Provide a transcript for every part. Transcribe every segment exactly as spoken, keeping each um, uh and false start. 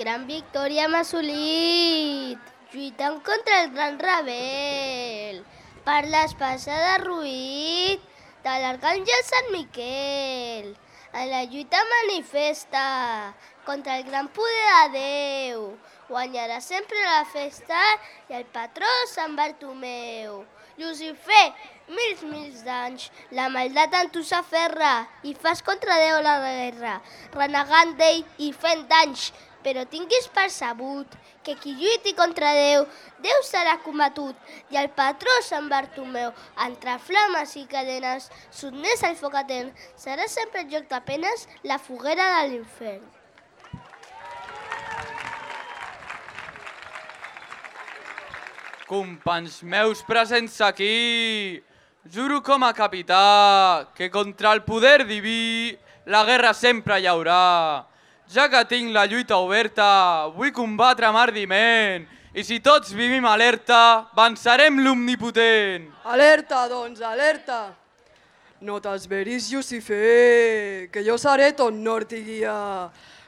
Gran victòria hem assolit, lluitant contra el gran rebel, per l'espasa de Ruït de l'arcàngel Sant Miquel. En la lluita manifesta contra el gran poder de Déu, guanyarà sempre la festa i el patró Sant Bartomeu. Llucifer, mils, mils d'anys, la maldat en tu s'aferra i fas contra Déu la guerra, renegant d'ell i fent danys. Però tinguis percebut que qui lluiti contra Déu, Déu serà combatut, i el patró Sant Bartomeu, entre flames i cadenes, sotmès al foc etern, serà sempre el lloc de penes, la foguera de l'infern. Companys meus presents aquí, juro com a capità que contra el poder diví la guerra sempre hi haurà. Ja que tinc la lluita oberta, vull combatre amb ardiment, i si tots vivim alerta, vencerem l'omnipotent. Alerta, doncs, alerta! No t'esveris, Llucifer, que jo seré ton nord i guia.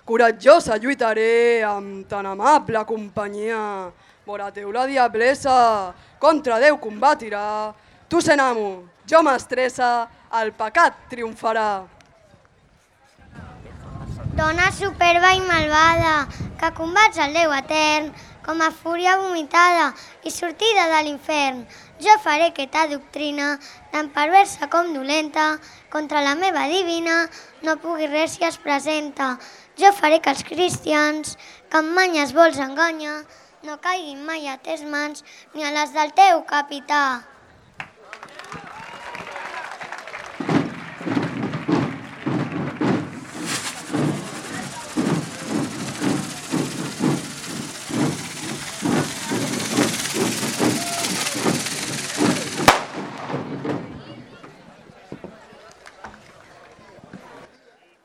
Coratjosa lluitaré amb tan amable companyia. Vora teu la diablessa, contra Déu combatirà. Tu sent amo, jo m'estressa, el pecat triomfarà. Dona superba i malvada, que combats el Déu etern, com a fúria vomitada i sortida de l'infern. Jo faré que ta doctrina, tan perversa com dolenta, contra la meva divina, no pugui res si es presenta. Jo faré que els cristians, que amb manyes vols enganya, no caiguin mai a tes mans ni a les del teu capità.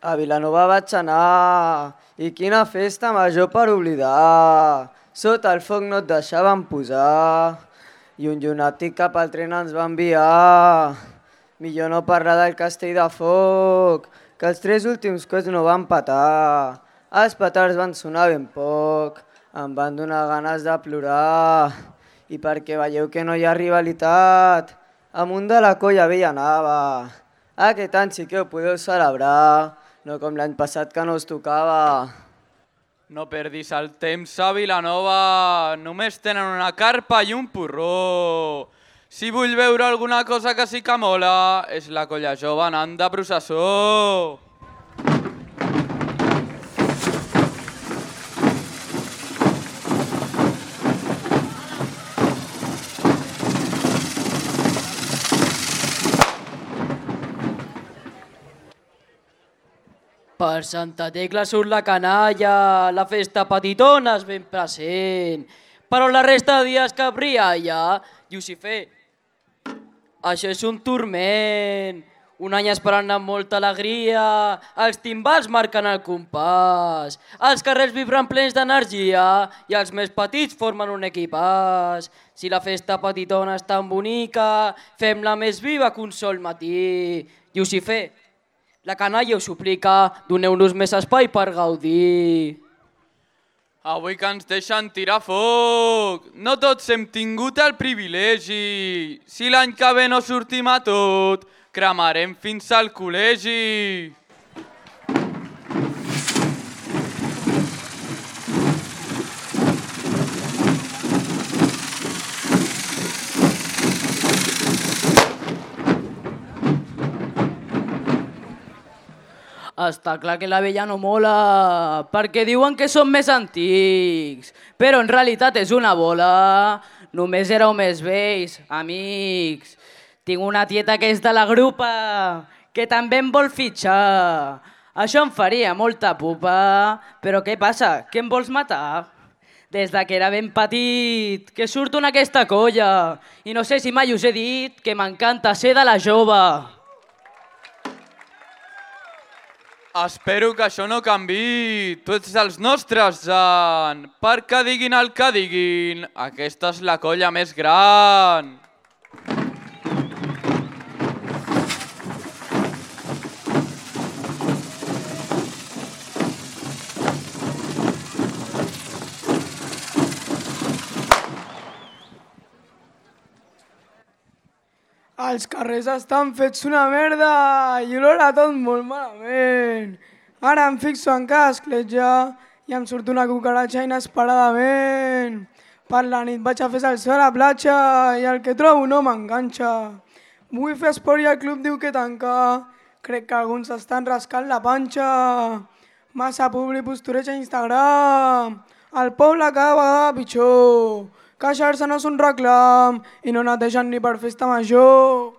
A Vilanova vaig anar, i quina festa major per oblidar. Sota el foc no et deixaven posar, i un llunàtic cap al tren ens va enviar. Millor no parlar del castell de foc, que els tres últims coets no van petar. Els petards van sonar ben poc, em van donar ganes de plorar. I perquè veieu que no hi ha rivalitat, amunt de la colla vella anava. Aquest any sí que ho podeu celebrar, no com l'any passat que no us tocava. No perdis el temps a Vilanova, només tenen una carpa i un porró. Si vull veure alguna cosa que sí que mola, és la colla jove anant de processó. Per Santa Tecla surt la canalla, la festa petitona és ben present. Però la resta de dies que brialla, Llucifer, això és un turment. Un any esperant amb molta alegria, els timbals marquen el compàs, els carrers vibren plens d'energia i els més petits formen un equipàs. Si la festa petitona és tan bonica, fem-la més viva que un sol matí. Llucifer, la canalla us suplica, doneu-nos més espai per gaudir. Avui que ens deixen tirar foc, no tots hem tingut el privilegi. Si l'any que ve no sortim a tot, cremarem fins al col·legi. Està clar que la vella no mola, perquè diuen que són més antics, però en realitat és una bola. Només éreu més vells, amics. Tinc una tieta que és de la grupa, que també em vol fitxar. Això em faria molta pupa, però què passa? Que em vols matar? Des de que era ben petit, que surto en aquesta colla, i no sé si mai us he dit que m'encanta ser de la jove. Espero que això no canvi. Tu ets dels nostres, Jan. Perquè diguin el que diguin, aquesta és la colla més gran. Els carrers estan fets una merda i olora tot molt malament. Ara em fixo en cada escletxa i em surt una cucaratxa inesperadament. Per la nit vaig a fer salsa a la platja i el que trobo no m'enganxa. Vull fer esport i el club diu que tanca. Crec que alguns estan rascant la panxa. Massa publi postureig a Instagram. El poble cada vegada pitjor. Queixar-se no és un reclam i no netegen ni per festa major.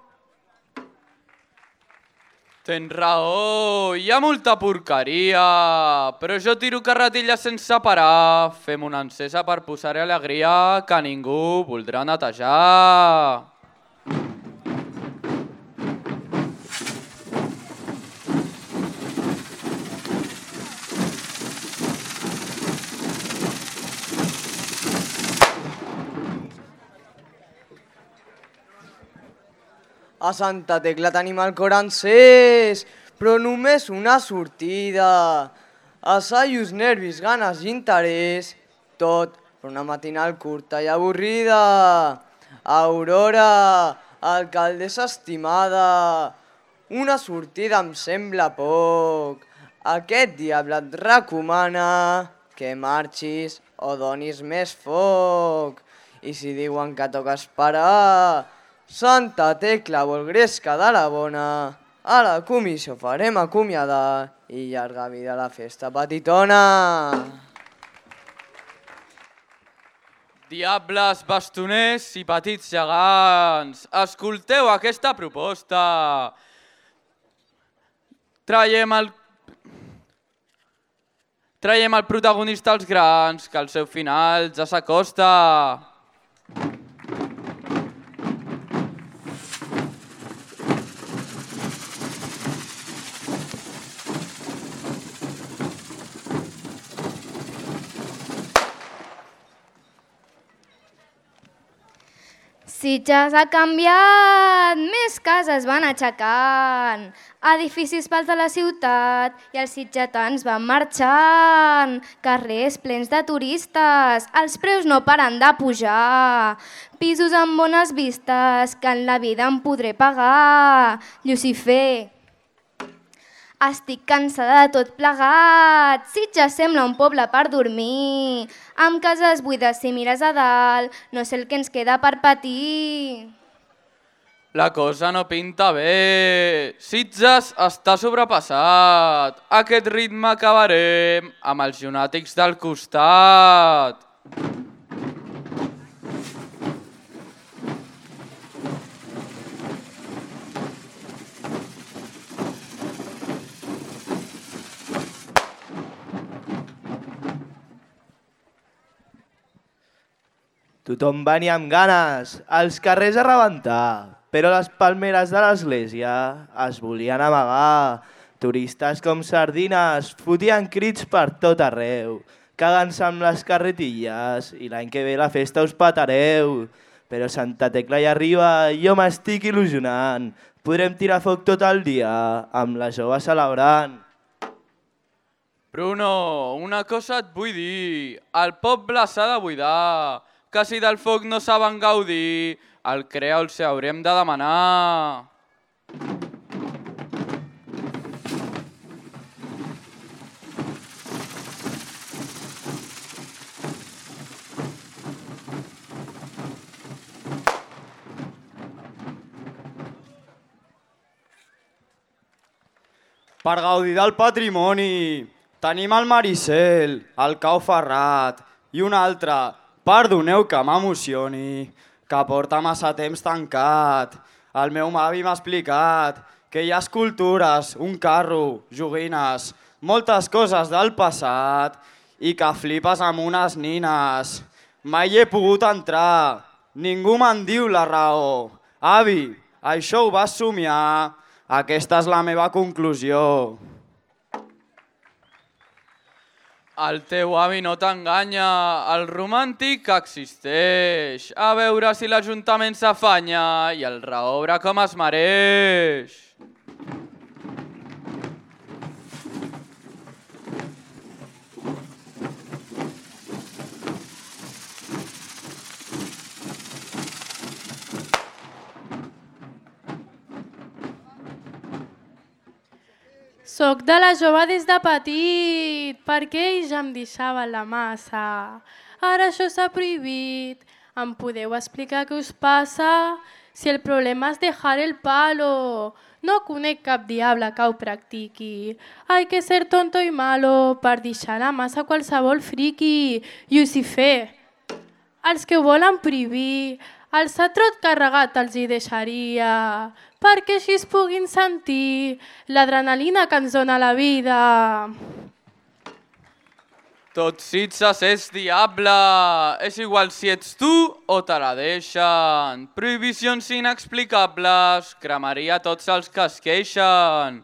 Tens raó, hi ha molta porqueria, però jo tiro carretilles sense parar. Fem una encesa per posar-hi alegria que ningú voldrà netejar. A Santa Tecla tenim el cor encès, però només una sortida. Assajos, nervis, ganes i interès, tot per una matinal curta i avorrida. Aurora, alcaldessa estimada, una sortida em sembla poc. Aquest diable et recomana que marxis o donis més foc. I si diuen que toca esperar, Santa Tecla vol gresca de la bona, a la comissió farem acomiadar i llarga vida la festa petitona. Diables, bastoners i petits gegants, escolteu aquesta proposta. Traiem el... Traiem el protagonista als grans, que el seu final ja s'acosta. Sitges ha canviat, més cases van aixecant, edificis pels de la ciutat i els sitgetans van marxant, carrers plens de turistes, els preus no paren de pujar, pisos amb bones vistes que en la vida em podré pagar. Llucifer, estic cansada de tot plegat, Sitges sembla un poble per dormir, amb cases buides si mires a dalt, no sé el que ens queda per patir. La cosa no pinta bé, Sitges està sobrepassat, aquest ritme acabarem amb els llunàtics del costat. Tothom venia amb ganes, als carrers a rebentar, però les palmeres de l'església es volien amagar. Turistes com sardines fotien crits per tot arreu, cagant-se amb les carretilles i l'any que ve la festa us petareu. Però Santa Tecla hi arriba i jo m'estic il·lusionant, podrem tirar foc tot el dia amb la jove celebrant. Bruno, una cosa et vull dir, el poble s'ha de buidar, que si del foc no saben gaudir, el crea els haurem de demanar. Per gaudir del patrimoni, tenim el Maricel, el Cau Ferrat i un altre, perdoneu que m'emocioni, que porta massa temps tancat. El meu avi m'ha explicat que hi ha escultures, un carro, joguines, moltes coses del passat i que flipes amb unes nines. Mai hi he pogut entrar, ningú me'n diu la raó. Avi, això ho vas somiar, aquesta és la meva conclusió. El teu avi no t'enganya, el romàntic existeix. A veure si l'Ajuntament s'afanya i el reobre com es mereix. Soc de la jove des de petit, perquè ells em deixaven la massa. Ara això s'ha prohibit. Em podeu explicar què us passa? Si el problema és dejar el palo. No conec cap diable que ho practiqui. Hay que ser tonto i malo per deixar la massa qualsevol friqui. Llucifer, els que ho volen prohibir, el satrot carregat els hi deixaria, perquè així es puguin sentir l'adrenalina que ens dona la vida. Tot Sitges és diable, és igual si ets tu o te la deixen. Prohibicions inexplicables, cremaria tots els que es queixen.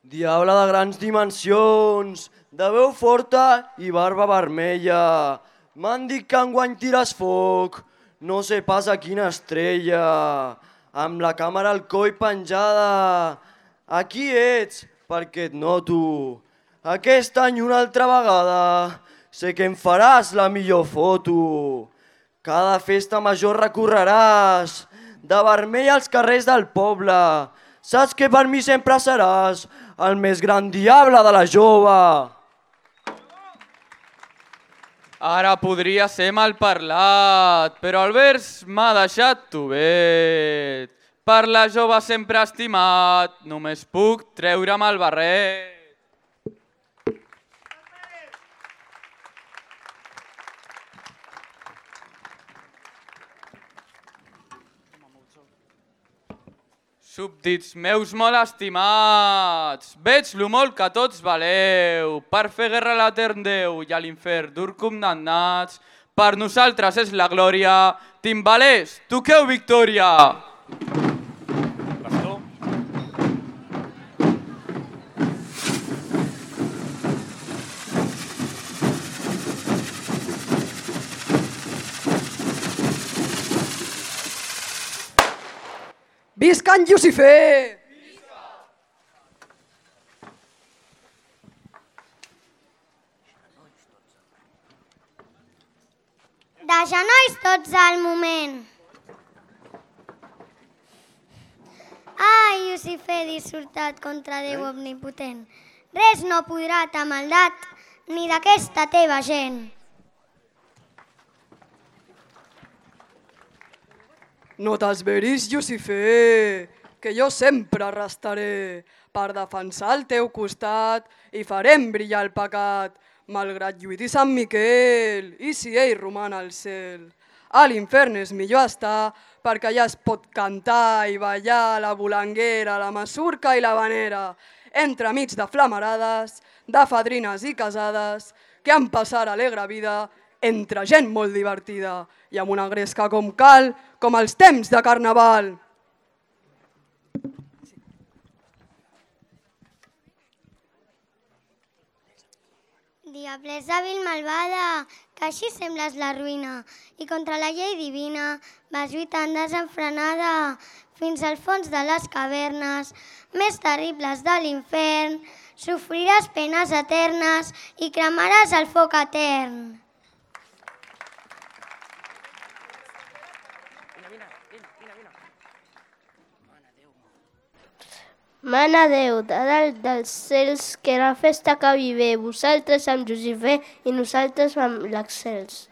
Diable de grans dimensions, de veu forta i barba vermella. M'han dit que enguany tires foc, no sé pas a quina estrella. Amb la càmera al coll penjada. Aquí ets, perquè et noto. Aquest any una altra vegada, sé que em faràs la millor foto. Cada festa major recorreràs, de vermell als carrers del poble. Saps que per mi sempre seràs el més gran diable de la jove. Ara podria ser mal parlat, però el vers m'ha deixat tovet. Per la jove sempre estimat, només puc treure'm el barret. Súbdits meus molt estimats, veig lo molt que tots valeu, per fer guerra a l'etern Déu i a l'infern dur condemnats. Per nosaltres és la glòria, timbalers, toqueu victòria! Visca en Llucifer! De genolls tots al moment. Ai, Llucifer dissortat contra Déu omnipotent. Res no podrà ta maldat ni d'aquesta teva gent. No t'esveris, Llucifer, que jo sempre restaré per defensar el teu costat i farem brillar el pecat, malgrat lluiti Sant Miquel i si ell roman al cel. A l'infern és millor estar perquè allà es pot cantar i ballar la volanguera, la masurca i la vanera, entremig de flamarades, de fadrines i casades, que han passat alegre vida entre gent molt divertida i amb una gresca com cal, com els temps de carnaval. Diablesa vil malvada, que així sembles la ruïna, i contra la llei divina vas lluitant desenfrenada fins al fons de les cavernes més terribles de l'infern. Sofriràs penes eternes i cremaràs el foc etern. Mana Déu, de dalt dels cels, que la festa acabi bé, vosaltres amb Llucifer i nosaltres amb l'excels.